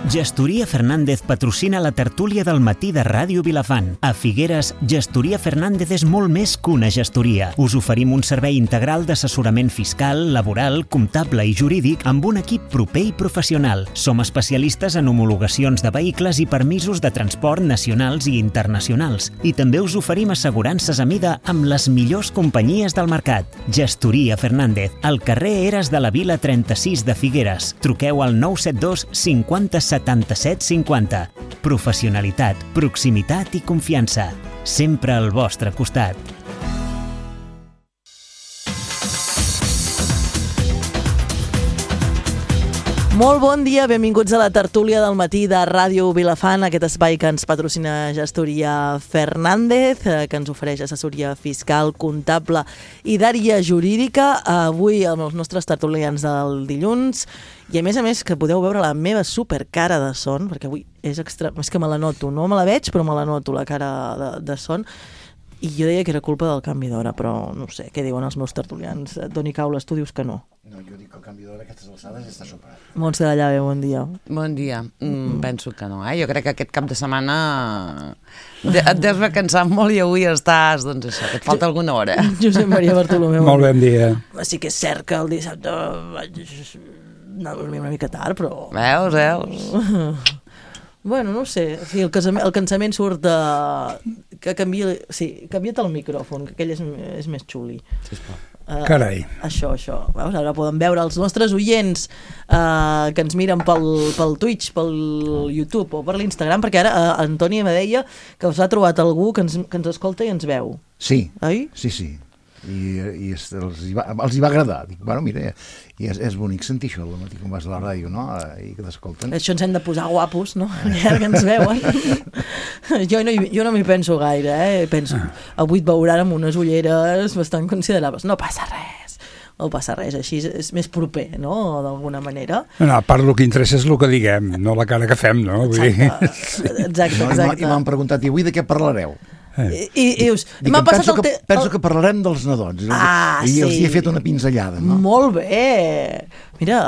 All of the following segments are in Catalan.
Gestoria Fernández patrocina la tertúlia del matí de Ràdio Vilafant. A Figueres, Gestoria Fernández és molt més que una gestoria. Us oferim un servei integral d'assessorament fiscal, laboral, comptable i jurídic amb un equip proper i professional. Som especialistes en homologacions de vehicles i permisos de transport nacionals i internacionals. I també us oferim assegurances a mida amb les millors companyies del mercat. Gestoria Fernández, al carrer Eres de la Vila 36 de Figueres. Truqueu al 972 50 77 50. Professionalitat, proximitat i confiança. Sempre al vostre costat. Molt bon dia, benvinguts a la tertúlia del matí de Ràdio Vilafant, aquest espai que ens patrocina Gestoria Fernández, que ens ofereix assessoria fiscal, comptable i d'àrea jurídica. Avui amb els nostres tertulians del dilluns, i a més que podeu veure la meva supercara de son, perquè avui és que me la noto, no me la veig però me la noto, la cara de son. I jo deia que era culpa del canvi d'hora, però no sé, què diuen els meus tertulians? Toni Caules, tu dius que no. No, jo dic que el canvi d'hora a aquestes alçades està superat. Montse de Llave, bon dia. Bon dia. Penso que no, Jo crec que aquest cap de setmana et deus haver cansat molt i avui estàs, doncs això, que et falta alguna hora. Josep Maria Bartolomeu. Molt bon dia. Sí que és cert que el dissabte vaig anar a dormir una mica tard, però... Veus? Bueno, no sé, sí, el cansament surt de... que canvia... Sí, canvia't el micròfon, que aquell és més xuli. Sisplau. Carai. Això. Veus? Ara poden veure els nostres oients que ens miren pel Twitch, pel YouTube o per l'Instagram, perquè ara Antònia me deia que us ha trobat algú que ens escolta i ens veu. Sí, oi? sí. I els hi va agradar. Dic, bueno, mira, i és bonic sentir això al matí quan vas a la ràdio, no? I que t'escolten. Això ens hem de posar guapos, no? Ja que ens veuen. Jo no m'hi penso gaire, Penso, avui et veuran amb unes ulleres bastant considerables. No passa res, així és més proper, no?, d'alguna manera. No, a part el que interessa és el que diguem, no la cara que fem, no? Exacte. I m'han preguntat, i avui de què parlareu? I dius, m'ha passat penso que parlarem dels nadons. I els hi he fet una pinzellada, no? Molt bé. Mira,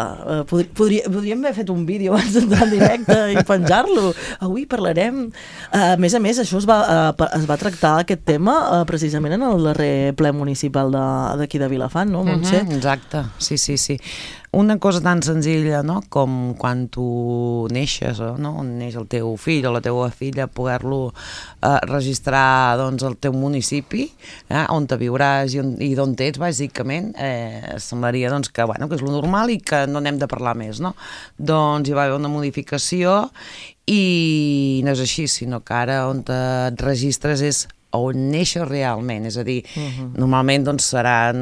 podríem haver fet un vídeo abans d'entrar en directe i penjar-lo. Avui parlarem... A més, això es va tractar, aquest tema, precisament en el darrer ple municipal d'aquí de Vilafant, no, Montse? Exacte, sí. Una cosa tan senzilla, no?, com quan tu neixes, no?, on neix el teu fill o la teva filla, poder-lo registrar, doncs, al teu municipi, on te viuràs i d'on ets, bàsicament, semblaria, doncs, que és lo normal i que no n'hem de parlar més, no? Doncs hi va haver una modificació i no és així, sinó que ara on et registres és on neixes realment, és a dir, normalment doncs seran,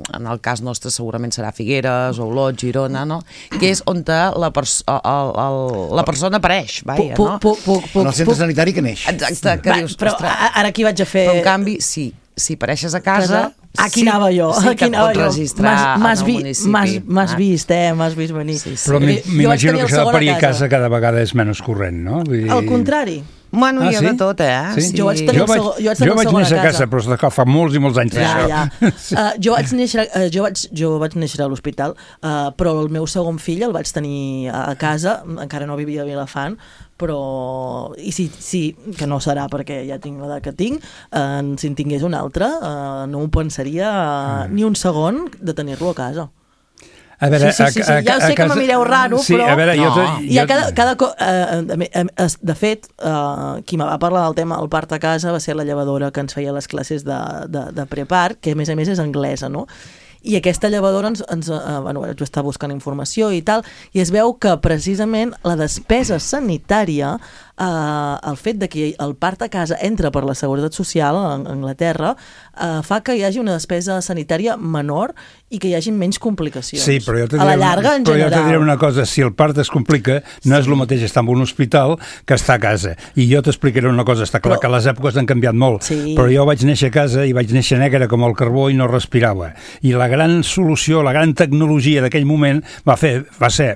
en el cas nostre segurament serà Figueres, Olot, Girona, no?, que és on la persona apareix, no? En el centre sanitari que neix. Exacte, que dius, però ara aquí vaig a fer... Però en canvi, sí, si apareixes a casa... Aquí anava jo. Sí que et pots registrar en el municipi. M'has vist venir. Sí. Però m'imagino que això de parir a casa cada vegada és menys corrent, no? Al contrari. Bueno, hi ha de tot, Sí? Jo vaig néixer a casa, però fa molts i molts anys d'això. Jo vaig néixer a l'hospital, però el meu segon fill el vaig tenir a casa, encara no vivia a Vilafant, però sí, que no serà perquè ja tinc l'edat que tinc, si en tingués un altre no ho pensaria ni un segon de tenir-lo a casa. A veure, sí. Ja sé que me mireu raro, sí, però... A veure, de fet, qui me va parlar del tema del part a casa va ser la llevadora que ens feia les classes de prepart, que a més és anglesa, no? I aquesta llevadora vaig estar buscant informació i tal, i es veu que precisament la despesa sanitària, el fet de que el part a casa entra per la Seguretat Social a Anglaterra, fa que hi hagi una despesa sanitària menor i que hi hagi menys complicacions. Sí, però jo a la llarga, en general. Però jo te diré una cosa, si el part es complica, no és el mateix estar en un hospital que estar a casa. I jo t'explicaré una cosa, està clar que les èpoques han canviat molt, però jo vaig néixer a casa i vaig néixer negre com el carbó i no respirava. I la gran solució, la gran tecnologia d'aquell moment va ser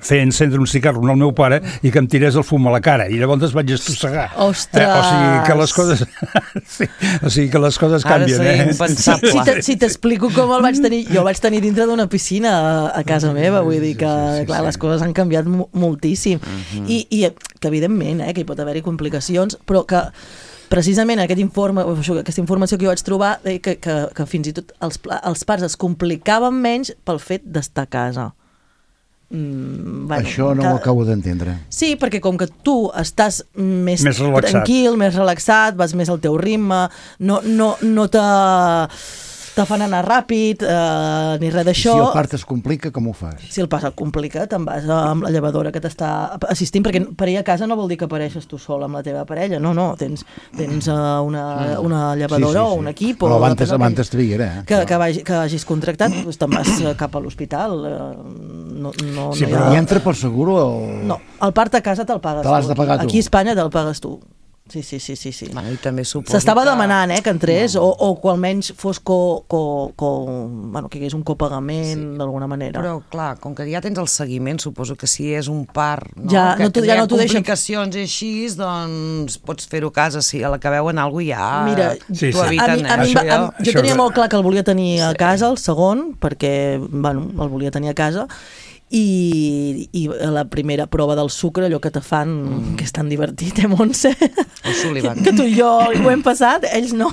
fer encendre un cigarro al meu pare i que em tirés el fum a la cara. I llavors vaig estossegar. Ostres! O sigui que les coses... sí, o sigui que les coses canvien, Ara seria impensable. Si t'explico com el vaig tenir, jo el vaig tenir dintre d'una piscina a casa meva, vull dir que, clar, les coses han canviat moltíssim. I que, evidentment, que hi pot haver-hi complicacions, però que precisament aquesta informació que jo vaig trobar que fins i tot els pares es complicaven menys pel fet d'estar a casa. Això no ho acabo d'entendre. Sí, perquè com que tu estàs més relaxat. Tranquil, més relaxat, vas més al teu ritme, no te fan anar ràpid, ni res d'això. Si el part es complica, com ho fas? Si el part es complica, te'n vas amb la llevadora que t'està assistint, perquè per ir a casa no vol dir que apareixes tu sol amb la teva parella, no, tens una llevadora o un equip. Però abans triguera. Que hagis contractat, doncs te'n vas cap a l'hospital. Però hi entra pel seguro o...? No, el part a casa te'l pagues tu. Te l'has de pagar tu? Aquí a Espanya te'l pagues tu. Sí. Bueno, i també suposo s'estava demanant que entrés, o que almenys fos que hi hagués un copagament d'alguna manera. Però, clar, com que ja tens el seguiment, suposo que si és un part ja no t'ho deixen. Complicacions i així, doncs pots fer-ho a casa, si a la que veuen alguna cosa ja t'ho eviten. Jo tenia molt clar que el volia tenir a casa, el segon, perquè el volia tenir a casa, i la primera prova del sucre, allò que te fan, que és tan divertit, Montse? Que tu i jo ho hem passat, ells no.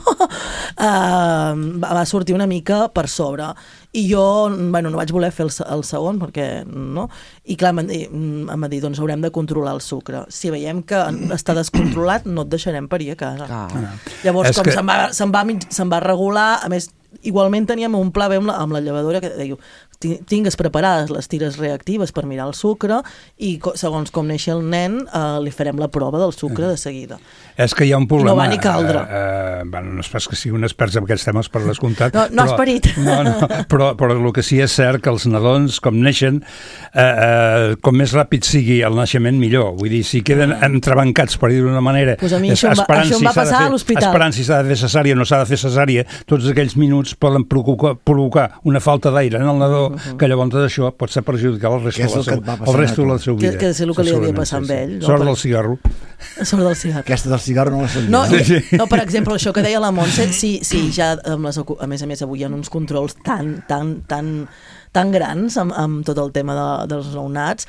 Va sortir una mica per sobre. I jo, no vaig voler fer el segon, perquè no. I clar, em va dir, doncs haurem de controlar el sucre. Si veiem que està descontrolat, no et deixarem parir a casa. Llavors, se'n va regular, a més, igualment teníem un pla amb la llevadora que deia, tingues preparades les tires reactives per mirar el sucre i segons com neixi el nen li farem la prova del sucre de seguida. És que hi ha un problema. No va ni caldre. No és pas que sigui un expert en aquests temes per descomptat. No has parit. Però el que sí és cert que els nadons, com neixen, com més ràpid sigui el naixement, millor. Vull dir, si queden entrebancats, per dir d'una manera, això em va passar a l'hospital. Esperant si s'ha de fer cesària o no s'ha de fer cesària, tots aquells minuts poden provocar una falta d'aire en el nadó, que llavors això pot ser perjudicial el resto de la seva vida. Que és el que li havia passat amb ell. Sort del cigarro. Aquesta del cigarro no la sabia. No, per exemple, això que deia la Montse, sí, ja, a més avui hi ha uns controls tan grans amb tot el tema dels nounats,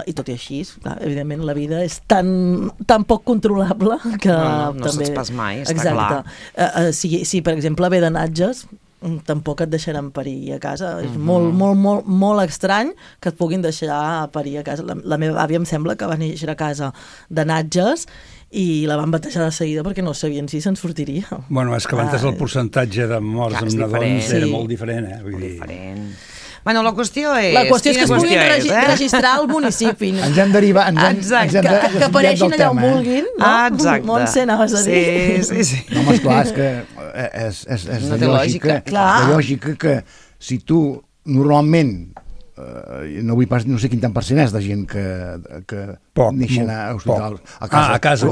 i tot i així, clar, evidentment la vida és tan poc controlable que no saps pas mai, està clar. Si per exemple ve de natges, tampoc et deixaran parir a casa. És molt estrany que et puguin deixar parir a casa. La meva àvia em sembla que va néixer a casa de natges i la van batejar de seguida perquè no sabien si se'n sortiria. Bueno, és que abans el percentatge de morts amb nadons era molt diferent, diferent. Bueno, la qüestió és... La qüestió és que es puguin registrar al municipi. Ens hem derivat... Que apareixin allà on vulguin, no? Exacte. Montse, anaves a dir. Sí. No, home, esclar, és que és de lògica que si tu normalment no sé quin tant percent és de gent que neixen a hospitals, a casa,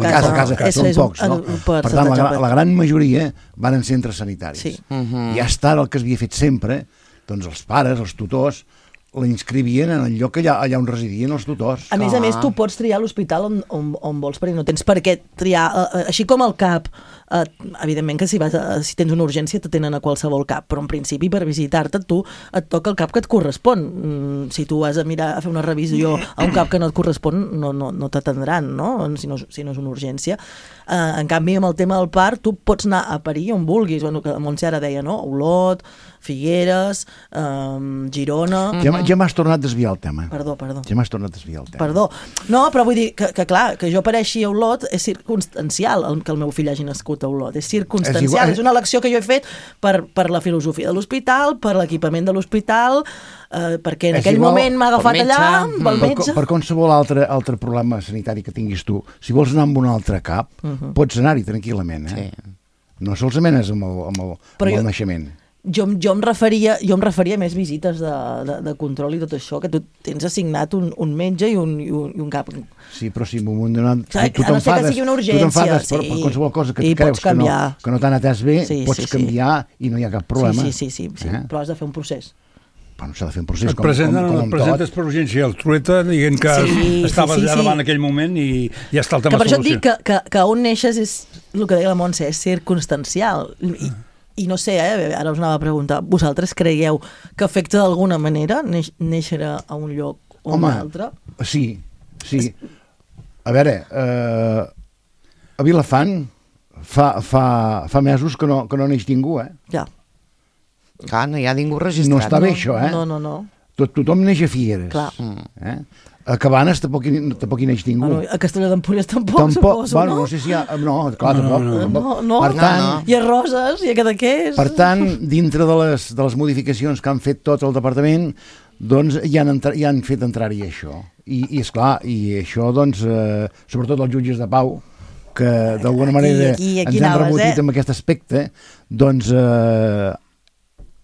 són pocs, no? Per tant, la gran majoria van en centres sanitaris. I hasta el que s'havia fet sempre, doncs els pares, els tutors, la inscrivien en el lloc allà on residien els tutors. A més, tu pots triar l'hospital on vols, perquè no tens per què triar, així com el CAP, evidentment que si tens una urgència te tenen a qualsevol CAP, però en principi per visitar-te tu et toca el CAP que et correspon. Si tu vas a fer una revisió a un CAP que no et correspon, no t'atendran, no? Si no és una urgència. En canvi, amb el tema del part, tu pots anar a parir on vulguis. Bueno, que la Montse ara deia, no? Olot, Figueres, Girona... Ja m'has tornat a desviar el tema. Perdó. Ja m'has tornat a desviar el tema. Perdó. No, però vull dir que clar, que jo apareixi a Olot és circumstancial que el meu fill hagi nascut a Olot. És circumstancial. És una elecció que jo he fet per la filosofia de l'hospital, per l'equipament de l'hospital, perquè en aquell moment m'ha agafat allà pel metge. Per qualsevol altre problema sanitari que tinguis tu, si vols anar amb un altre CAP, pots anar-hi tranquil·lament. No solament és amb el naixement. Jo em referia a més visites de control i tot això, que tu tens assignat un metge i un cap. Sí, però si en un moment donat tu t'enfades per qualsevol cosa que creus que no t'han atès bé, pots canviar i no hi ha cap problema. Sí, però has de fer un procés. Bueno, s'ha de fer un procés et presentes per urgència el trueta dient que estaves allà davant en aquell moment i ja està el tema solucionat. Per això et dic que on neixes és el que deia la Montse, és circumstancial. I no sé, ara us anava a preguntar, vosaltres creieu que afecta d'alguna manera néixer a un lloc o un altre? Sí. A veure, a Vilafant fa mesos que no neix ningú, Ja. Clar, no hi ha ningú registrat. No està bé, això, No. Tothom neix a Figueres. Clar. A Cabanes tampoc hi neix ningú. A Castelló d'Empúries tampoc, suposo, bueno, no sé si hi ha... No, clar, tampoc. Per tant, hi ha Roses, hi ha Cadaqués. Per tant, dintre de les modificacions que han fet tot el departament, doncs hi han fet entrar-hi això. I esclar, i això, doncs, sobretot els jutges de pau, que d'alguna manera ens han rebotit amb aquest aspecte, doncs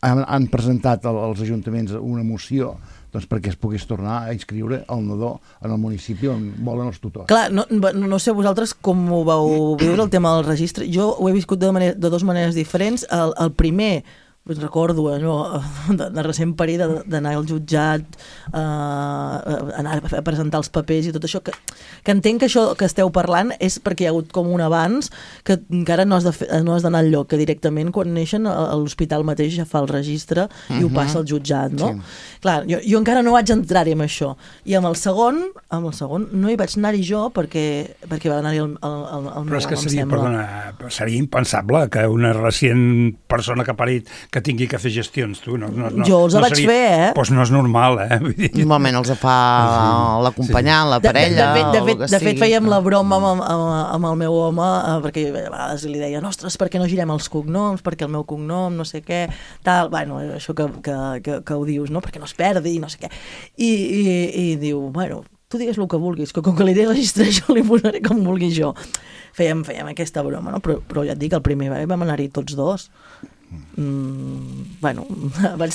han presentat als ajuntaments una moció perquè es pogués tornar a inscriure el nadó en el municipi on volen els tutors. Clar, no sé vosaltres com ho vau viure, el tema del registre. Jo ho he viscut de dues maneres diferents. El primer, recordo de recent parir d'anar al jutjat, anar a presentar els papers i tot això, que entenc que això que esteu parlant és perquè hi ha hagut com un abans, que encara no has d'anar al lloc, que directament quan neixen a l'hospital mateix ja fa el registre i ho passa al jutjat, no? Sí. Clar, jo encara no vaig entrar-hi amb això. I amb el segon no hi vaig anar-hi jo perquè va anar-hi el meu Però és que seria impensable que una recient persona que ha parit que tingui que fer gestions, tu. Jo els vaig fer, Doncs no és normal, Normalment els fa l'acompanyant, la parella... De fet, fèiem la broma amb el meu home, perquè a vegades li deia, ostres, per què no girem els cognoms, perquè el meu cognom, no sé què, tal, bueno, això que ho dius, no? Perquè no es perdi, no sé què. I diu, bueno, tu digues el que vulguis, que com que li registre jo li posaré com vulgui jo. Fèiem aquesta broma, no? Però ja et dic, el primer vam anar-hi tots dos. Bueno, vaig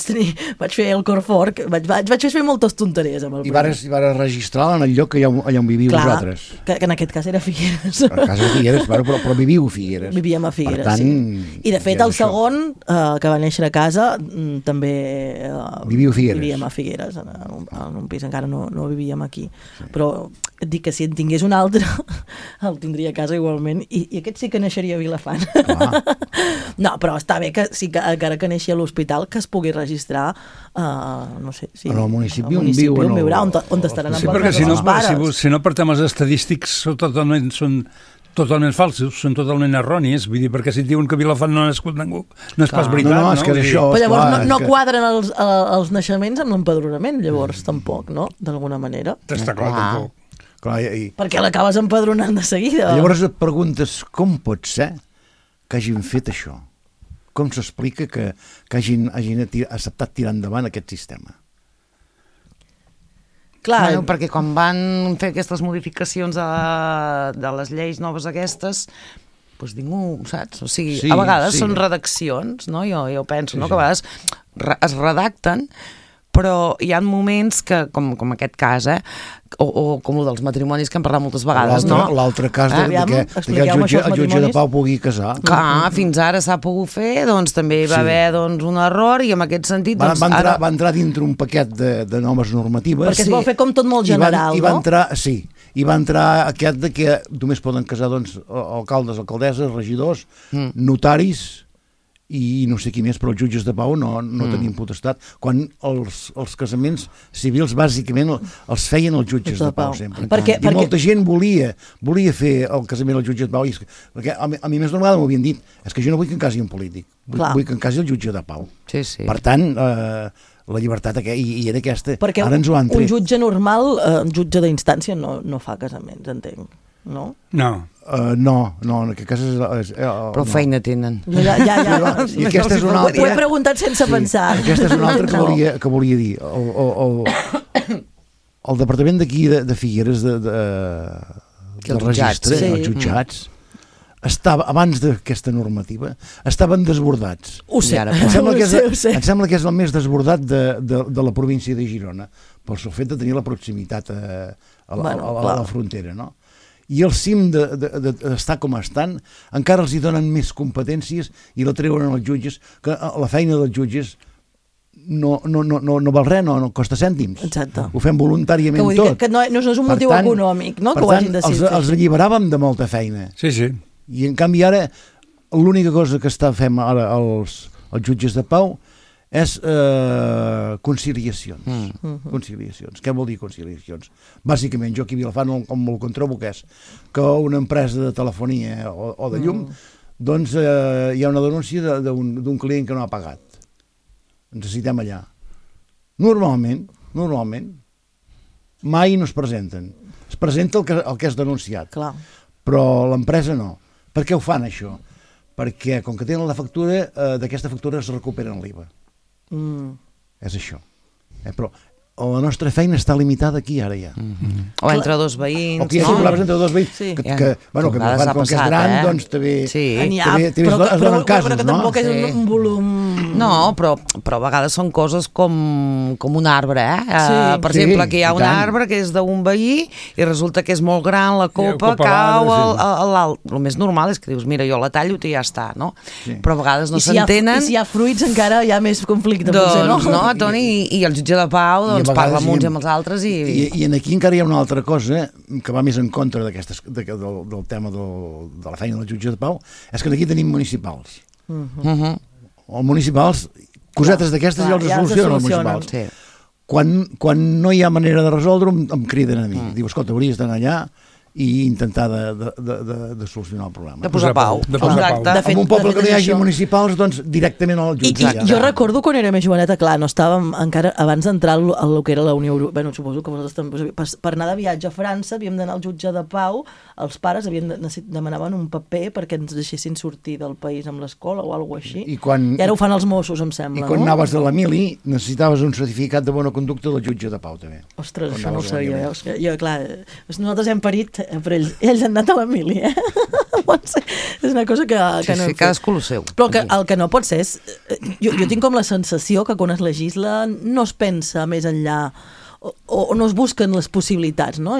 fer el cor fort, vaig fer moltes tonteries amb el primer. I vares registrar en el lloc allà on viviu vosaltres. Que en aquest cas era Figueres. A casa de Figueres, però viviu a Figueres. Vivíem a Figueres, tant, sí. I de fet el segon, que va néixer a casa, també vivíem a Figueres, en un pis, encara no vivíem aquí. Sí. Però et dic que si en tingués un altre el tindria a casa igualment, i aquest sí que naixeria a Vilafant. No, però està bé que sí que encara que neixi a l'hospital que es pugui registrar no sé si en el municipi on viu, on estaran amb els pares. Si no per temes estadístics són totalment falsos, són totalment erronis, vull dir, perquè si et diuen que a Vilafant no ha nascut ningú, no és pas veritat, no? És que això, però llavors no quadren els naixements amb l'empadronament, llavors tampoc, no? D'alguna manera. Està clar, tampoc. Perquè l'acabes empadronant de seguida. Llavors et preguntes com pot ser que hagin fet això? Com s'explica que hagin acceptat tirar endavant aquest sistema? Clar, bueno, perquè quan van fer aquestes modificacions de les lleis noves aquestes, doncs ningú, saps? O sigui, a vegades són redaccions, no? Jo penso, no? Que a vegades es redacten, però hi ha moments que, com aquest cas, o com el dels matrimonis que hem parlat moltes vegades, no? L'altre cas que el jutge de pau pugui casar. Clar, fins ara s'ha pogut fer, doncs també hi va haver un error, i en aquest sentit... Va entrar dintre un paquet de noves normatives. Perquè es vol fer com tot molt general, no? Sí, i va entrar aquest de que només poden casar alcaldes, alcaldesses, regidors, notaris i no sé qui més, però els jutges de pau no tenien potestat, quan els casaments civils bàsicament els feien els jutges de pau sempre. I molta gent volia fer el casament als jutges de pau, perquè a mi més d'una vegada m'ho havien dit, és que jo no vull que em casi un polític, vull que em casi el jutge de pau. Per tant, la llibertat i era aquesta. Perquè un jutge normal, un jutge d'instància no fa casaments, entenc, no? No, en aquest cas és... Però feina tenen. Ja. I aquesta és una altra... Ho he preguntat sense pensar. Aquesta és una altra que volia dir. El departament d'aquí de Figueres, del registre, els jutjats, abans d'aquesta normativa, estaven desbordats. Ho sé. Em sembla que és el més desbordat de la província de Girona, pel seu fet de tenir la proximitat a la frontera, no? I el cim d'estar com estan encara els hi donen més competències i la treuen als jutges, que la feina dels jutges no val res, no costa cèntims. Exacte. Ho fem voluntàriament tot. Que no és un motiu econòmic, no? Per tant, els alliberàvem de molta feina. Sí. I en canvi ara l'única cosa que fem ara els jutges de pau és conciliacions. Conciliacions. Què vol dir conciliacions? Bàsicament, jo aquí a Vilafant com el controbo que és que una empresa de telefonia o de llum doncs hi ha una denúncia d'un client que no ha pagat. Necessitem allà. Normalment, mai no es presenten. Es presenta el que és denunciat. Clar. Però l'empresa no. Per què ho fan, això? Perquè, com que tenen la factura, d'aquesta factura es recuperen l'IVA. És això. Però la nostra feina està limitada aquí, ara ja. O entre dos veïns. O que hi ha problemes entre dos veïns. Que com que és gran, doncs també... Però que tampoc és un volum... No, però a vegades són coses com un arbre, Per exemple, que hi ha un arbre que és d'un veí i resulta que és molt gran, la copa cau a l'alt. El més normal és que dius, mira, jo la tallo i ja està, no? Però a vegades no s'entenen. I si hi ha fruits encara hi ha més conflicte. Doncs no, Toni, i el jutge de pau parla amb uns i amb els altres i aquí encara hi ha una altra cosa que va més en contra del tema de la feina del jutge de pau, és que aquí tenim municipals. Els municipals, cosetes d'aquestes ja els solucionen els municipals. Quan no hi ha manera de resoldre em criden a mi. Diu, escolta, hauries d'anar allà i intentar de solucionar el problema. De posar pau. En un poble que no hi hagi municipals, doncs directament al jutge. Jo recordo quan era més joveneta, clar, no estàvem encara, abans d'entrar al que era la Unió Europea, suposo que vosaltres per anar de viatge a França havíem d'anar al jutge de pau, els pares demanaven un paper perquè ens deixessin sortir del país amb l'escola o alguna cosa així. I ara ho fan els Mossos, em sembla. I quan anaves de la mili necessitaves un certificat de bona conducta del jutge de pau, també. Ostres, això no ho sabia. Jo, clar, nosaltres hem parit però ells han anat a la mili, és una cosa que no hem fet. Cadascú el seu. Però el que no pot ser és... Jo tinc com la sensació que quan es legisla no es pensa més enllà o no es busquen les possibilitats, no?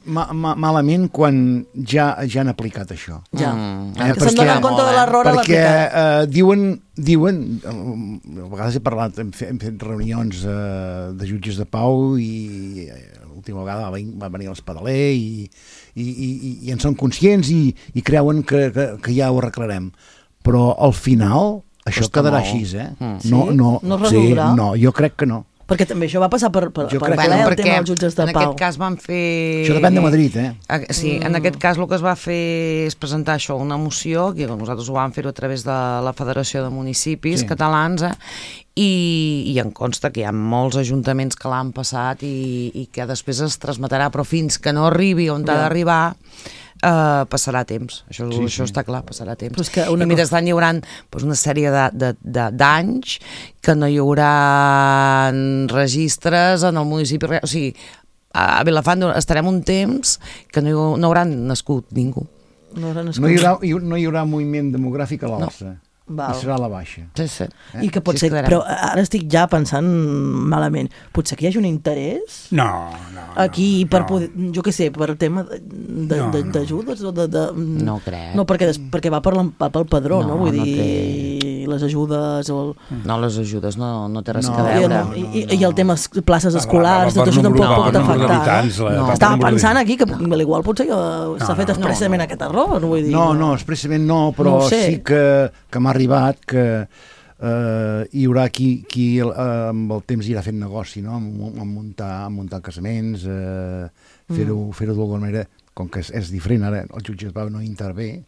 Malament quan ja han aplicat això. Ja. Que se'n donen compte de l'error a l'aplicar. Perquè diuen, a vegades he parlat, hem fet reunions de jutges de pau i l'última vegada va venir l'Espadaler i en són conscients i creuen que ja ho arreglarem. Però al final això quedarà així, No es resoldrà? No, jo crec que no. Perquè també això va passar per el tema dels jutges de pau. En aquest cas van fer... Això depèn de Madrid, Sí, en aquest cas el que es va fer és presentar això, una moció, que nosaltres ho vam fer a través de la Federació de Municipis Catalans, i em consta que hi ha molts ajuntaments que l'han passat i que després es transmetrà, però fins que no arribi on ha d'arribar passarà temps, això està clar, passarà temps. I mentrestant hi haurà una sèrie d'anys que no hi haurà registres en el municipi, o sigui, a Vilafant estarem un temps que no hi haurà nascut ningú. No hi haurà moviment demogràfic a l'alça. I serà a la baixa. Sí. I que pot ser, però ara estic ja pensant malament, potser que hi hagi un interès aquí per poder, jo què sé, per tema d'ajudes o de... No crec. No, perquè va pel padró, no? Vull dir, les ajudes o... No, les ajudes no té res a veure. I el tema places escolars, tot això tampoc pot afectar. Estava pensant aquí que igual potser s'ha fet expressament aquest error, vull dir. No, expressament no, però sí que m'ha arribat que hi haurà qui amb el temps irà fent negoci, no? A muntar casaments, fer-ho d'alguna manera, com que és diferent, ara el jutge de pau no intervé,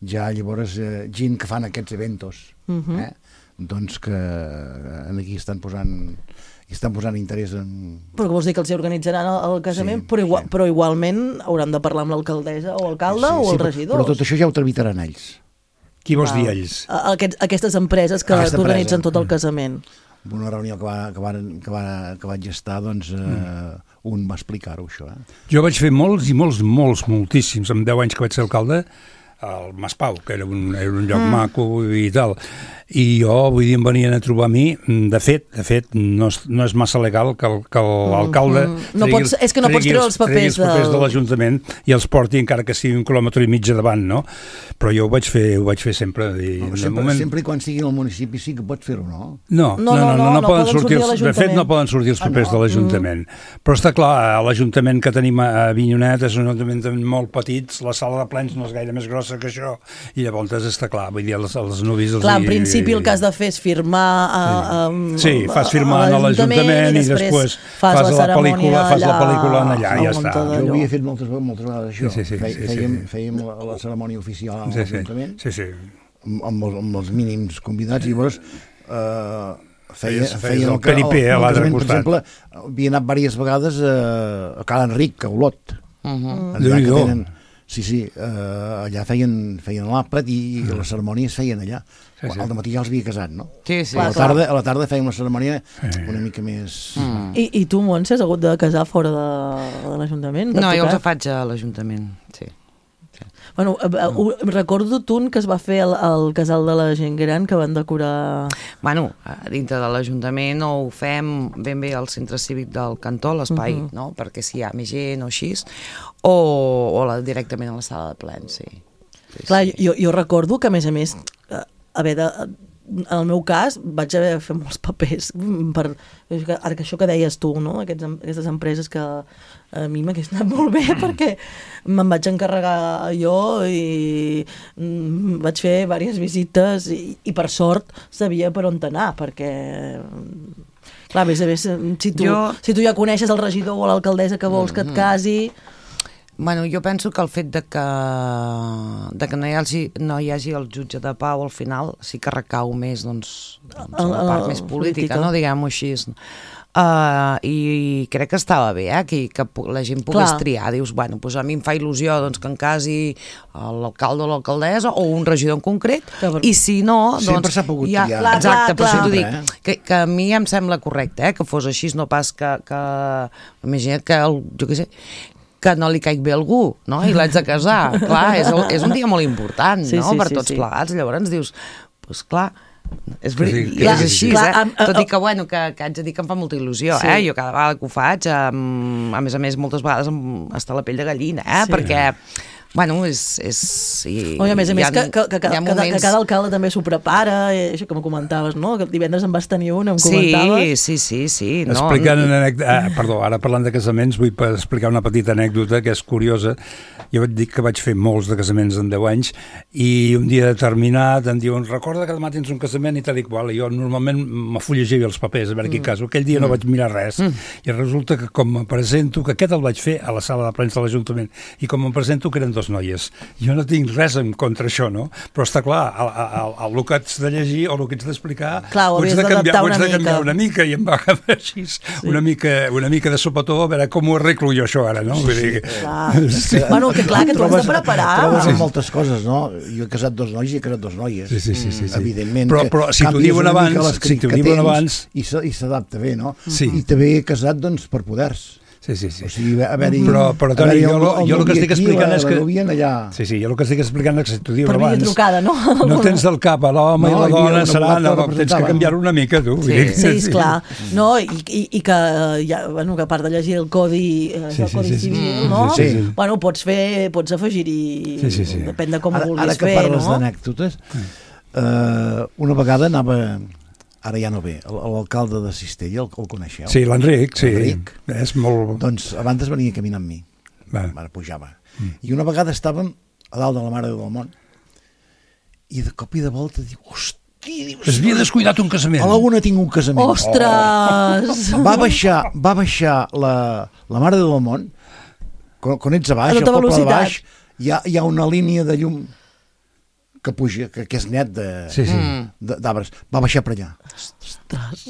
ja llavors gent que fan aquests eventos, doncs que aquí estan posant interès en... Però que vols dir que els organitzaran el casament, però igualment hauran de parlar amb l'alcaldessa o alcalde o els regidors. Però tot això ja ho tramitaran ells. Qui vols dir ells? Aquestes empreses que t'organitzen tot el casament. En una reunió que vaig estar, doncs un va explicar-ho, això. Jo vaig fer moltíssims, amb 10 anys que vaig ser alcalde, al Mas Pau, que era un lloc maco i tal. I jo, vull dir, em venien a trobar a mi, de fet, no és massa legal que l'alcalde és que no pots treure els papers de l'Ajuntament i els porti encara que sigui 1,5 quilòmetres davant, no? Però jo ho vaig fer sempre. Sempre i quan sigui al municipi sí que pots fer-ho, no? No poden sortir de fet, no poden sortir els papers de l'Ajuntament. Però està clar, l'Ajuntament que tenim a Avinyonet és un ajuntament molt petit, la sala de plens no és gaire més grossa que això, i llavors està clar, vull dir, els nuvis... Clar, en principi el que has de fer és firmar sí, fas firmar a l'Ajuntament i després fas la pel·lícula allà i ja està. Jo ho havia fet moltes vegades això. Fèiem la cerimònia oficial a l'Ajuntament amb els mínims convidats i llavors feien el peripé a l'altre costat. Per exemple, havia anat diverses vegades a Cal Enric, a Olot. Sí, allà feien l'àpat i les cerimònies feien allà. Al dematí ja els havia casat, no? Sí. A la tarda fèiem una cerimònia una mica més... I tu, Montse, has hagut de casar fora de l'Ajuntament? No, jo els faig a l'Ajuntament, sí. Bueno, recordo un que es va fer al casal de la gent gran que van decorar... Bueno, dintre de l'Ajuntament ho fem ben bé al centre cívic del Cantó, l'espai, no? Perquè si hi ha més gent o així, o directament a la sala de plens, sí. Clar, jo recordo que, a més, en el meu cas vaig haver de fer molts papers per ara que això que deies tu, no? Aquestes empreses que a mi m'hagués anat molt bé perquè me'n vaig encarregar jo i vaig fer diverses visites i per sort sabia per on anar perquè clar, a més si tu ja coneixes el regidor o l'alcaldessa que vols que et casi... Bueno, jo penso que el fet de que no hi hagi el jutge de pau al final sí que recau més doncs, a la part més política, no? Diguem-ho així. I crec que estava bé que la gent pogués triar. Dius, bueno, doncs a mi em fa il·lusió doncs, que em casi l'alcalde o l'alcaldessa o un regidor en concret, i si no... Sempre s'ha pogut triar. Exacte, però si t'ho dic, que a mi em sembla correcte que fos així, no pas que imagina't que, jo què sé, que no li caigui bé algú, no? I l'haig de casar. Clar, és un dia molt important, no? Per tots plegats. Llavors dius, doncs clar, és així, tot i que, bueno, que haig de dir que em fa molta il·lusió, jo cada vegada que ho faig, a més, moltes vegades està la pell de gallina, perquè... Bueno, és... a més, que cada alcalde també s'ho prepara, això que me comentaves, no? Que divendres en vas tenir un, em comentaves. Sí. Explicant una anècdota... Perdó, ara parlant de casaments, vull explicar una petita anècdota que és curiosa. Jo et dic que vaig fer molts de casaments en 10 anys i un dia determinat em diuen, recorda que demà tens un casament i tal i qual. I jo normalment m'afullegia els papers a veure quin cas. Aquell dia no vaig mirar res. I resulta que com em presento, que aquest el vaig fer a la sala de plens de l'Ajuntament, i com em presento que eren 2 noies. Jo no tinc res en contra això, no? Però està clar, el que haig de llegir o el que haig d'explicar ho haig de canviar una mica i em va quedar així una mica de sopetó a veure com ho arreglo jo això ara, no? Bueno, que clar, que tu has de preparar. Trobes moltes coses, no? Jo he casat 2 nois i he casat 2 noies. Sí. Evidentment. Però si t'ho diuen abans... I s'adapta bé, no? Sí. I també he casat, doncs, per poders. Sí. O sigui, però Toni, jo el que estic explicant és que... Sí, jo el que estic explicant és que si t'ho diuen abans... Per via trucada, no? No tens del cap a l'home i la dona seran, tens que canviar-ho una mica, tu. Sí, esclar. No, i que, bueno, que a part de llegir el codi civil, no? Bueno, pots afegir-hi... Depèn de com ho vulguis fer, no? Ara que parles d'anècdotes, una vegada anava... Ara ja no ve, l'alcalde de Cistella, el coneixeu? Sí, l'Enric, sí. És molt... Doncs abans venia a caminar amb mi, ara pujava. I una vegada estàvem a dalt de la Mare del Mont i de cop i de volta diu, hosti, es havia descuidat un casament. A la una tinc un casament. Ostres! Va baixar la Mare del Mont, quan ets a baix, al poble de baix, hi ha una línia de llum que puja, que és net d'arbres. Va baixar per allà. Ostres!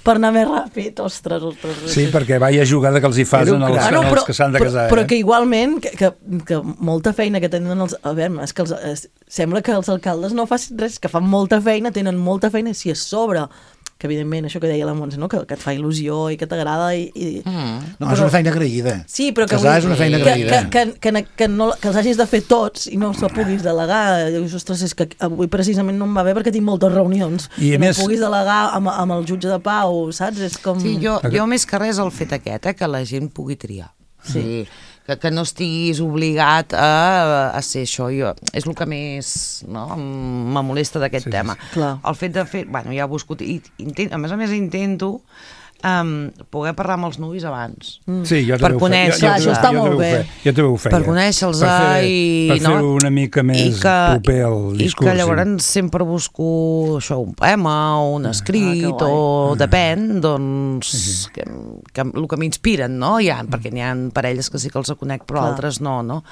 Per anar més ràpid, ostres. Sí, perquè vaya jugada que els hi fas els que s'han de casar. Però que igualment, que molta feina que tenen els... A veure, és que sembla que els alcaldes no facin res, que fan molta feina, tenen molta feina, si a sobre que evidentment això que deia la Montse, no? que et fa il·lusió i que t'agrada No, és una feina agraïda. Sí, però que casar és una feina agraïda. Que els hagis de fer tots i no se'l puguis delegar. Dius, ostres, és que avui precisament no em va bé perquè tinc moltes reunions. I no puguis delegar amb el jutge de pau, saps? És com... Sí, jo més que res el fet aquest, que la gent pugui triar. Sí. Que no estiguis obligat a ser això. És el que més me molesta d'aquest tema. El fet de fer... Bueno, ja he buscat... A més intento poder parlar amb els nuvis abans. Sí, jo per conèixer-los. Això està molt bé. Jo també ho feia. Per conèixer-los per fer-ho una mica més proper al discurs. I que llavors sempre busco això, un poema o un escrit o depèn, doncs que el que m'inspiren, no? Perquè n'hi ha parelles que sí que els conec, però altres no, no?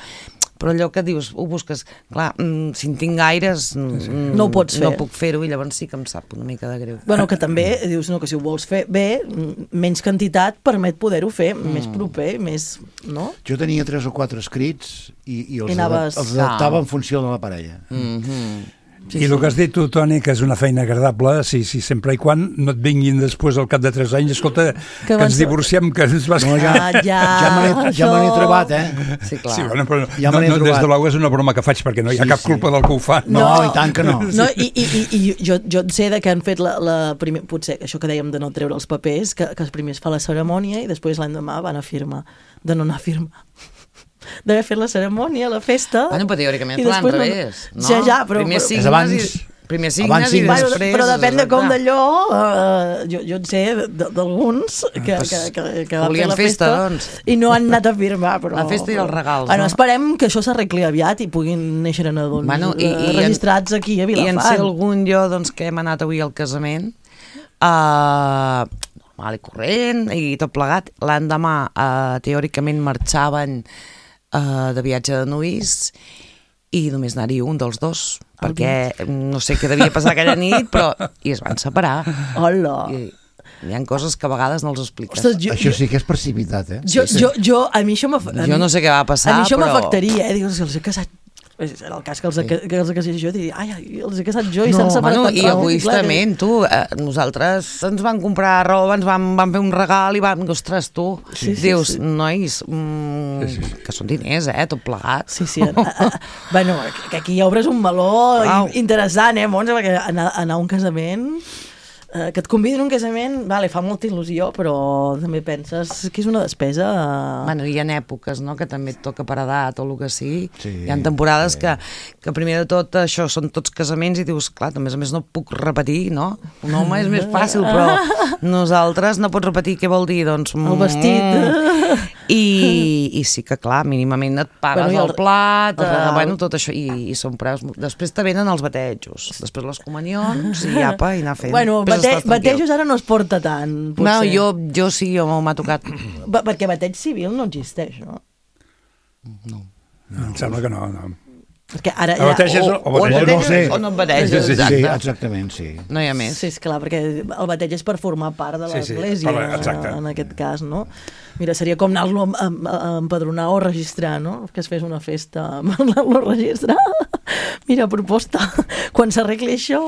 Però allò que dius, ho busques, clar, si en tinc gaires no ho pots fer. No puc fer-ho i llavors sí que em sap una mica de greu. Bueno, que també dius que si ho vols fer bé, menys quantitat permet poder-ho fer més proper, més... no? Jo tenia 3 o 4 escrits i els adaptava en funció de la parella. I el que has dit tu, Toni, que és una feina agradable, sí, sempre i quan no et vinguin després al cap de 3 anys, escolta, que ens divorciem, que ens vas... No, ja me n'he trobat, Sí, clar. Sí, bueno, però des de l'au és una broma que faig, perquè no hi ha cap culpa del que ho fa. No, i tant que no. I jo en sé que han fet potser això que dèiem de no treure els papers, que els primers fa la cerimònia i després l'endemà van a firmar, de no anar a firmar. D'haver fet la cerimònia, la festa... Bueno, però teòricament fa l'enrevés, no? Ja, però... Primer signes i després... Però depèn de com d'allò... Jo en sé d'alguns que van fer la festa i no han anat a firmar, però... La festa i els regals, no? Esperem que això s'arregli aviat i puguin néixer nadons registrats aquí a Vilafant. I en sé algun jo que hem anat avui al casament... normal i corrent i tot plegat. L'endemà, teòricament, marxaven de viatge de nuvis i només anar-hi un dels dos, perquè no sé què devia passar aquella nit, però i es van separar. Hola! Hi ha coses que a vegades no els expliques. Ostres, això sí que és precipitat, a mi això jo no sé què va passar, però... A mi això m'afectaria, Dius, els he casat... En el cas que els he casat jo, diria, els he casat jo i s'han separat. I egoistament, nosaltres ens van comprar roba, ens van fer un regal i ostres, tu, dius, nois, que són diners, tot plegat. Sí. Bueno, que aquí obres un meló interessant, Montse, perquè anar a un casament... que et convidin a un casament, fa molta il·lusió, però també penses que és una despesa... Bueno, hi ha èpoques, no?, que també et toca per edat o el que sigui. Hi ha temporades que primer de tot això són tots casaments i dius, clar, a més no puc repetir, no? Un home és més fàcil, però nosaltres no pots repetir què vol dir, doncs... El vestit... I sí que, clar, mínimament et pagues el plat, tot això, i són preus. Després te venen els batejos, després les comunions i apa, i anar fent. Bueno, batejos ara no es porta tant, potser. No, jo sí, m'ha tocat. Perquè bateig civil no existeix, no? No, em sembla que no. Perquè ara o no et bateges. Sí, exactament, sí. No hi ha més. Sí, esclar, perquè el bateig és per formar part de l'església, en aquest cas, no? Mira, seria com anar-lo a empadronar o registrar, no? Que es fes una festa amb anar-lo a registrar. Mira, proposta. Quan s'arregli això...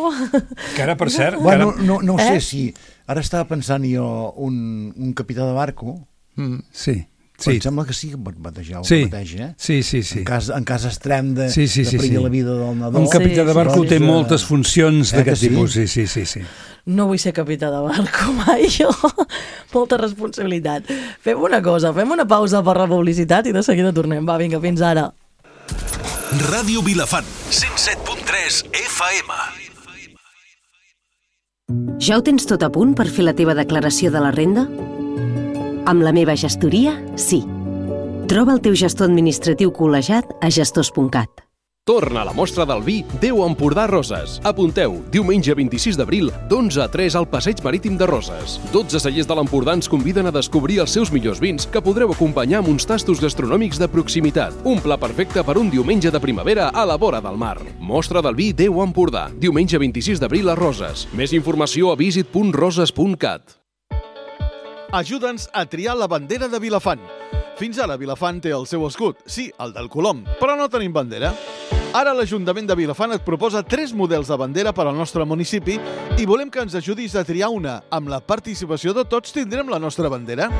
Que ara, per cert... Bueno, no sé si... Ara estava pensant jo un capità de barco... Sí. Em sembla que sí que pot batejar Sí. En cas extrem de perillar la vida del nadó. Un capità de barco té moltes funcions d'aquest tipus. Sí. No vull ser capità de barco mai, jo. Molta responsabilitat. Fem una cosa, fem una pausa per la publicitat i de seguida tornem. Va, vinga, fins ara. Ràdio Vilafant, 107.3 FM. Ja ho tens tot a punt per fer la teva declaració de la renda? Amb la meva gestoria, sí. Troba el teu gestor administratiu col·legiat a gestors.cat. Torna a la mostra del vi Déu Empordà Roses. Apunteu, diumenge 26 d'abril, d'11 a 3 al Passeig Marítim de Roses. 12 cellers de l'Empordà ens conviden a descobrir els seus millors vins que podreu acompanyar amb uns tastos gastronòmics de proximitat. Un pla perfecte per un diumenge de primavera a la vora del mar. Mostra del vi Déu Empordà, diumenge 26 d'abril a Roses. Més informació a visit.roses.cat. Ajuda'ns a triar la bandera de Vilafant. Fins ara Vilafant té el seu escut, sí, el del Colom, però no tenim bandera. Ara l'Ajuntament de Vilafant et proposa 3 models de bandera per al nostre municipi i volem que ens ajudis a triar una. Amb la participació de tots tindrem la nostra bandera.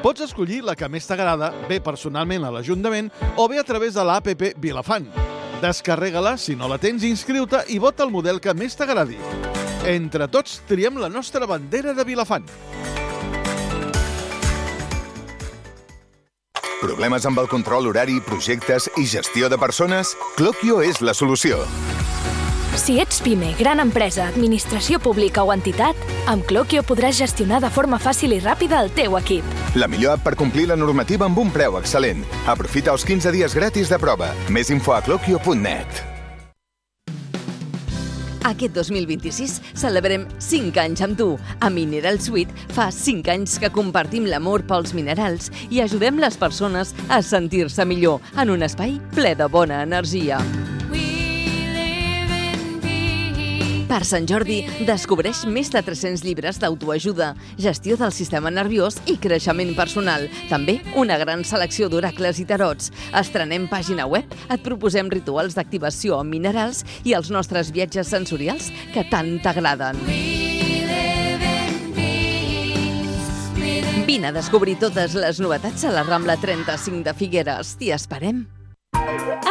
Pots escollir la que més t'agrada, bé personalment a l'Ajuntament o bé a través de l'APP Vilafant. Descarrega-la, si no la tens, inscriu-te i vota el model que més t'agradi. Entre tots triem la nostra bandera de Vilafant. Problemes amb el control horari, projectes i gestió de persones? Cloquio és la solució. Si ets PIME, gran empresa, administració pública o entitat, amb Cloquio podràs gestionar de forma fàcil i ràpida el teu equip. La millor app per complir la normativa amb un preu excel·lent. Aprofita els 15 dies gratis de prova. Més info a cloquio.net. Aquest 2026 celebrem 5 anys amb tu. A Mineral Suite fa 5 anys que compartim l'amor pels minerals i ajudem les persones a sentir-se millor en un espai ple de bona energia. Per Sant Jordi, descobreix més de 300 llibres d'autoajuda, gestió del sistema nerviós i creixement personal. També una gran selecció d'oracles i tarots. Estrenem pàgina web, et proposem rituals d'activació amb minerals i els nostres viatges sensorials que tant t'agraden. Vine a descobrir totes les novetats a la Rambla 35 de Figueres. T'hi esperem.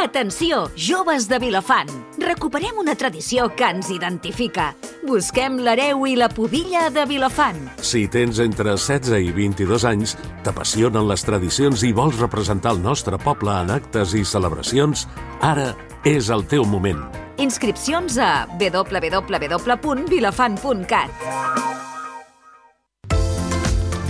Atenció, joves de Vilafant! Recuperem una tradició que ens identifica. Busquem l'hereu i la pudilla de Vilafant. Si tens entre 16 i 22 anys, t'apassionen les tradicions i vols representar el nostre poble en actes i celebracions, ara és el teu moment. Inscripcions a www.vilafant.cat.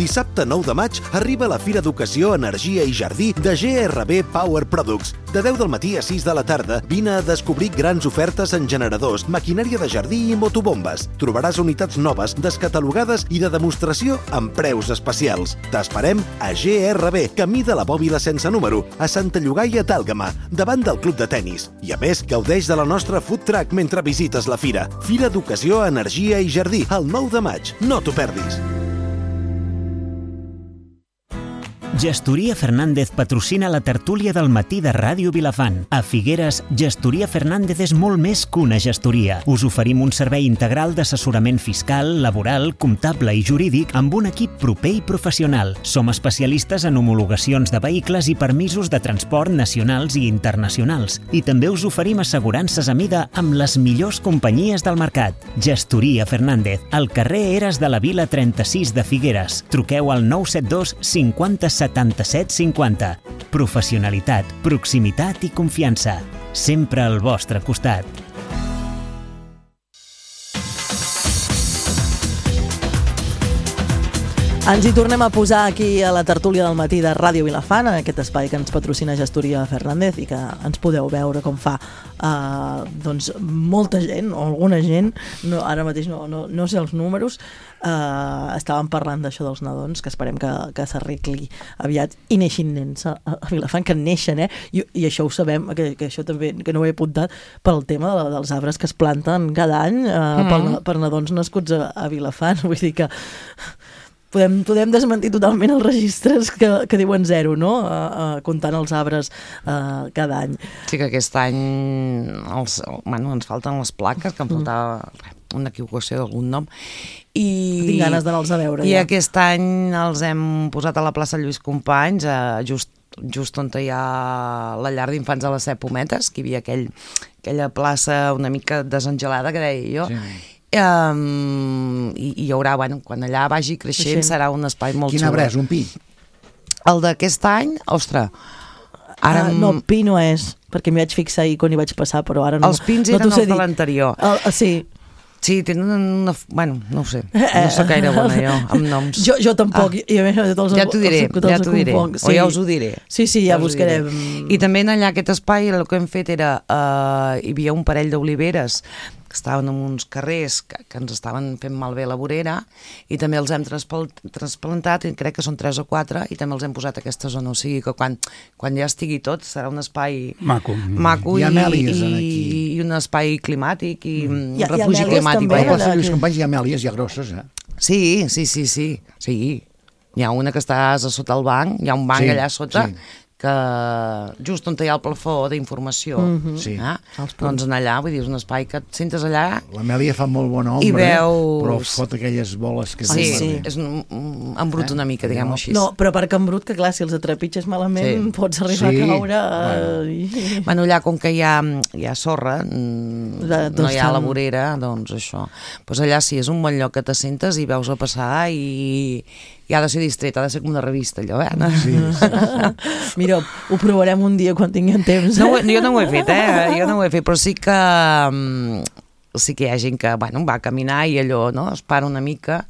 Dissabte 9 de maig arriba la Fira d'Educació, Energia i Jardí de GRB Power Products. De 10 del matí a 6 de la tarda, vine a descobrir grans ofertes en generadors, maquinària de jardí i motobombes. Trobaràs unitats noves, descatalogades i de demostració amb preus especials. T'esperem a GRB, camí de la Bòbila sense número, a Santa Llogaia d'Àlgama, davant del club de tennis. I a més, gaudeix de la nostra food truck mentre visites la fira. Fira d'Educació, Energia i Jardí, el 9 de maig. No t'ho perdis. Gestoria Fernández patrocina la tertúlia del matí de Ràdio Vilafant. A Figueres, Gestoria Fernández és molt més que una gestoria. Us oferim un servei integral d'assessorament fiscal, laboral, comptable i jurídic amb un equip proper i professional. Som especialistes en homologacions de vehicles i permisos de transport nacionals i internacionals. I també us oferim assegurances a mida amb les millors companyies del mercat. Gestoria Fernández, al carrer Eres de la Vila 36 de Figueres. Truqueu al 972 50 77 50. Professionalitat, proximitat i confiança. Sempre al vostre costat. Ens hi tornem a posar aquí a la tertúlia del matí de Ràdio Vilafant, aquest espai que ens patrocina Gestoria Fernández i que ens podeu veure com fa doncs molta gent, o alguna gent, no, ara mateix no sé els números, estàvem parlant d'això dels nadons, que esperem que s'arregli aviat i neixin nens a Vilafant, que neixen, i això ho sabem, que això també, que no ho he apuntat, pel tema dels arbres que es planten cada any per nadons nascuts a Vilafant, vull dir que podem desmentir totalment els registres que diuen 0, no? Comptant els arbres cada any. Sí que aquest any ens falten les plaques, que em faltava una equivocació d'algun nom. Tinc ganes d'anar-los a veure. I aquest any els hem posat a la plaça Lluís Companys, just on hi ha la llar d'infants de les 7 Pometes, que hi havia aquella plaça una mica desengelada, que deia jo. Sí. I hi haurà, quan allà vagi creixent serà un espai molt xulo. Quin arbre és, un pi? El d'aquest any, ostres, ara... No, pi no és, perquè m'hi vaig fixar ahir quan hi vaig passar, però ara no... Els pins eren els de l'anterior. Sí. Sí, tenen una... Bueno, no ho sé, no soc gaire bona jo, amb noms. Jo tampoc. Ja t'ho diré, o ja us ho diré. Sí, ja buscarem. I també allà aquest espai el que hem fet era... Hi havia un parell d'oliveres que estaven en uns carrers que ens estaven fent malbé la vorera i també els hem trasplantat, i crec que són 3 o 4, i també els hem posat a aquesta zona, o sigui que quan ja estigui tot serà un espai maco i un espai climàtic i un refugi climàtic. A la plaça Lluís Companys hi ha amèlies ja grosses, Sí. Hi ha una que estàs a sota el banc, hi ha un banc allà sota, que just on hi ha el plafó d'informació, doncs allà, vull dir, és un espai que et sentes allà... L'Amèlia fa molt bona ombra, però fot aquelles boles que... Sí, és embrut una mica, diguem-ho així. No, però perquè embrut, que clar, si els atrepitges malament pots arribar a caure... Bueno, allà, com que hi ha sorra, no hi ha la vorera, doncs això. Doncs allà sí, és un bon lloc que t'assentes i veus a passar i ha de ser distret, ha de ser com una revista, allò, Sí. Mira, ho provarem un dia quan tinguem temps. Jo no ho he fet, jo no ho he fet, però sí que hi ha gent que va a caminar i allò, no?, es para una mica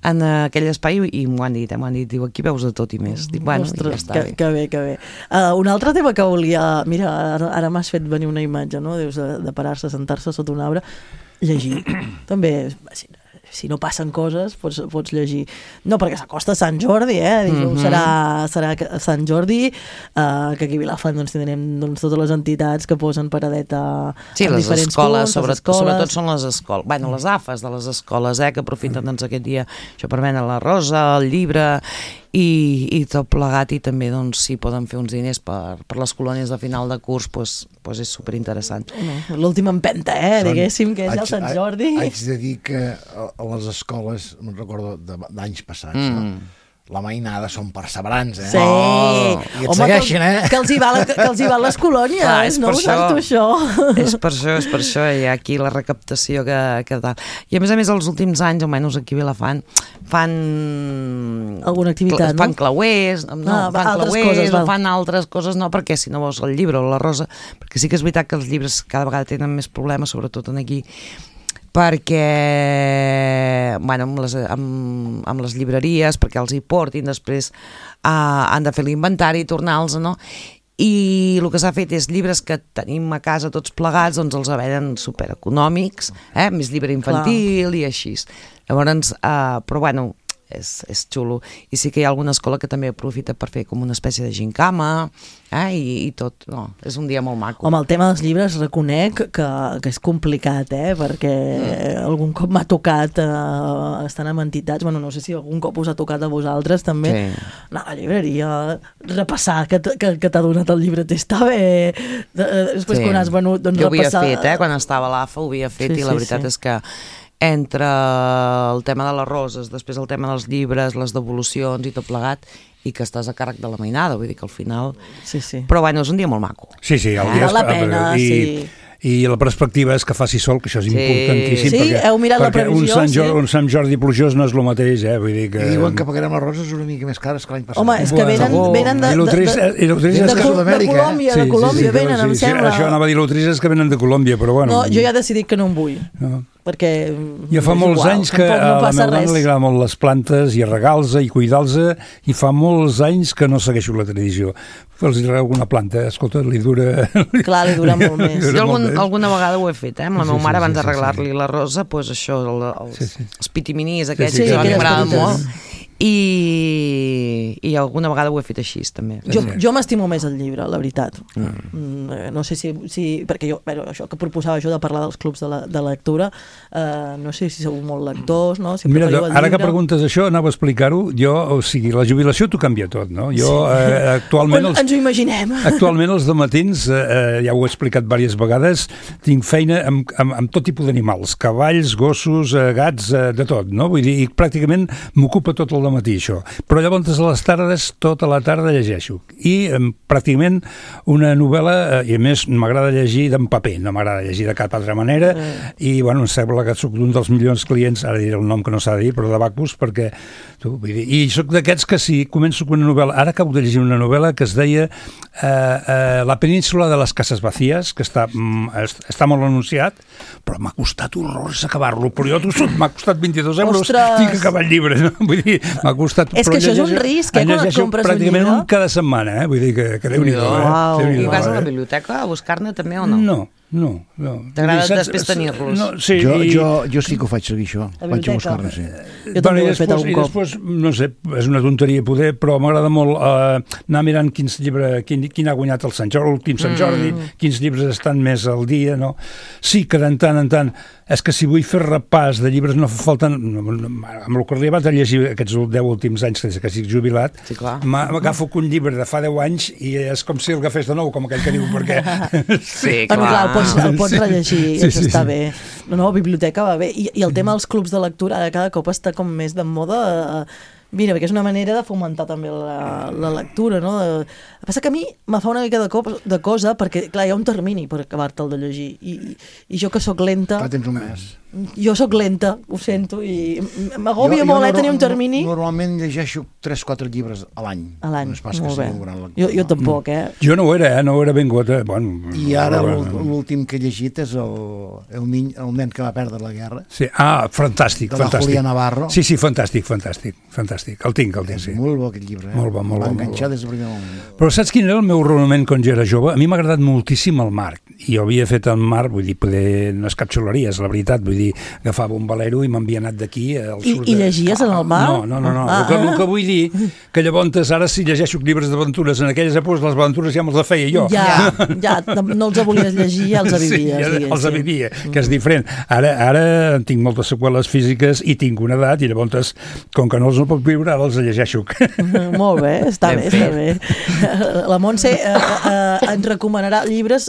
en aquell espai i m'ho han dit, diu, aquí veus de tot i més. Dic, ostres, ja està bé. Que bé. Un altre tema que volia... Mira, ara m'has fet venir una imatge, no?, Dius, de parar-se, sentar-se sota un arbre, llegir. També... Si no passen coses, pots llegir. No, perquè s'acosta Sant Jordi, dijous serà Sant Jordi, que aquí a Vilafant tindrem totes les entitats que posen paradeta en diferents punts. Sí, les escoles, sobretot són les escoles. Bueno, les AFAs de les escoles, que aprofiten aquest dia això per vendre la rosa, el llibre i tot plegat, i també si poden fer uns diners per les colònies de final de curs, doncs és superinteressant. L'última empenta, diguéssim, que és el Sant Jordi. Haig de dir que a les escoles, me'n recordo d'anys passats, la mainada són perseverants, Sí. I et segueixen, que els hi van les colònies, no ho saps tu, això? És per això, hi ha aquí la recaptació que tal. I a més, els últims anys, almenys aquí a Vilafant, fan... alguna activitat, fan clauers, fan altres coses, no, perquè si no vols el llibre o la rosa, perquè sí que és veritat que els llibres cada vegada tenen més problemes, sobretot aquí, perquè amb les llibreries, perquè els hi portin, després han de fer l'inventari i tornar-los, no? I el que s'ha fet és llibres que tenim a casa tots plegats, doncs els venen supereconòmics, més llibre infantil i així. Llavors, però bueno, és xulo. I sí que hi ha alguna escola que també aprofita per fer com una espècie de gincama, i tot. No, és un dia molt maco. Home, el tema dels llibres reconec que és complicat, perquè algun cop m'ha tocat estar en entitats, bueno, no sé si algun cop us ha tocat a vosaltres també, anar a la llibreria, repassar que t'ha donat el llibre, està bé, després quan has venut, doncs repassar... Jo ho havia fet, quan estava a l'AFA ho havia fet, i la veritat és que entre el tema de les roses, després el tema dels llibres, les devolucions i tot plegat, i que estàs a càrrec de la mainada, vull dir que al final... Sí. Però bueno, és un dia molt maco. Sí, el dia val la pena, sí. I la perspectiva és que faci sol, que això és importantíssim. Sí, heu mirat la previsió? Un Sant Jordi plujós no és el mateix, vull dir que... I diuen que pagarem les roses una mica més cares que l'any passat. Home, és que venen de Colòmbia, venen, em sembla. Això anava a dir, l'Utriz és que venen de Colòmbia, però bueno... No, jo ja he decidit que no en vull. Perquè ja fa molts anys que a la meva dona li agrada molt les plantes i regar-los i cuidar-los, i fa molts anys que no segueixo la tradició. Els hi regau una planta, escolta, li dura... Clar, li dura molt més. Jo alguna vegada ho he fet, amb la meva mare, abans de arreglar-li la rosa, doncs això, els pitiminis aquests, que m'agraden molt. I alguna vegada ho he fet així també. Jo m'estimo més el llibre, la veritat. No sé si perquè jo, això que proposava jo de parlar dels clubs de lectura, no sé si sou molt lectors, no? Mira, ara que preguntes això, anava a explicar-ho, o sigui, la jubilació t'ho canvia tot, no? Jo actualment... Ens ho imaginem. Actualment els dematins, ja ho he explicat diverses vegades, tinc feina amb tot tipus d'animals, cavalls, gossos, gats, de tot, no? Vull dir, i pràcticament m'ocupa tot el matí això, però llavors a les tardes, tota la tarda llegeixo, i pràcticament una novel·la, i a més m'agrada llegir d'en paper, no m'agrada llegir de cap altra manera, i bueno, em sembla que soc un dels milions clients, ara diré el nom que no s'ha de dir, però de Bacus, perquè i soc d'aquests que si començo amb una novel·la, ara acabo de llegir una novel·la que es deia La península de les cases vacíes, que està molt anunciat, però m'ha costat horrors acabar-lo, però jo t'ho sóc, m'ha costat 22 euros, tinc que acabar el llibre, no? Vull dir, m'ha costat... És que això és un risc, quan compres un llibre? Pràcticament un cada setmana, vull dir que Déu-n'hi-do. I vas a la biblioteca a buscar-ne també o no? No. T'agrada després tenir-los? Jo sí que ho faig seguir, això. Vaig a buscar-ne, sí. Jo també ho he fet algun cop. I després, no sé, és una tonteria poder, però m'agrada molt anar mirant quin ha guanyat l'últim Sant Jordi, quins llibres estan més al dia, no? Sí que de tant en tant és que si vull fer repàs de llibres no fa falta... Amb el que li vaig llegir aquests 10 últims anys que estic jubilat, m'agafo un llibre de fa 10 anys i és com si el agafés de nou, com aquell que diu, perquè... Sí, clar. El pots rellegir, això està bé. No, biblioteca va bé. I el tema dels clubs de lectura ara cada cop està com més de moda... Mira, perquè és una manera de fomentar també la lectura, no? El que passa que a mi me fa una mica de cosa, perquè, clar, hi ha un termini per acabar-te'l de llegir, i jo que sóc lenta... Clar, tens un mes. Jo sóc lenta, ho sento, i m'agòbia molt tenir un termini. Normalment llegeixo 3-4 llibres a l'any. A l'any, no és pas molt que bé. Jo tampoc, Jo no ho era vingut. I ara l'últim que he llegit és el nen que va perdre la guerra. Sí, fantàstic. De la Julia Navarro. Sí, fantàstic. El tinc, sí. Molt bo aquest llibre. Molt bo. Va enganxar des del primer moment. Però saps quin era el meu raonament quan jo era jove? A mi m'ha agradat moltíssim el mar. I jo havia fet el mar, vull dir, no és cap xuleria, és la veritat, vull dir, agafava un velero i m'havia anat d'aquí al sud. I llegies en el mar? No. El que vull dir, que llavors ara si llegeixo llibres d'aventures, en aquelles èpoques les aventures ja me'ls la feia jo. Ja, no els volies llegir, ja els avivies. Sí, els avivia, que és diferent. Ara tinc moltes seqüeles físiques i tinc una edat, i llavors, com que no els puc viure, ara els llegeixo. Molt bé, està bé. La Montse ens recomanarà llibres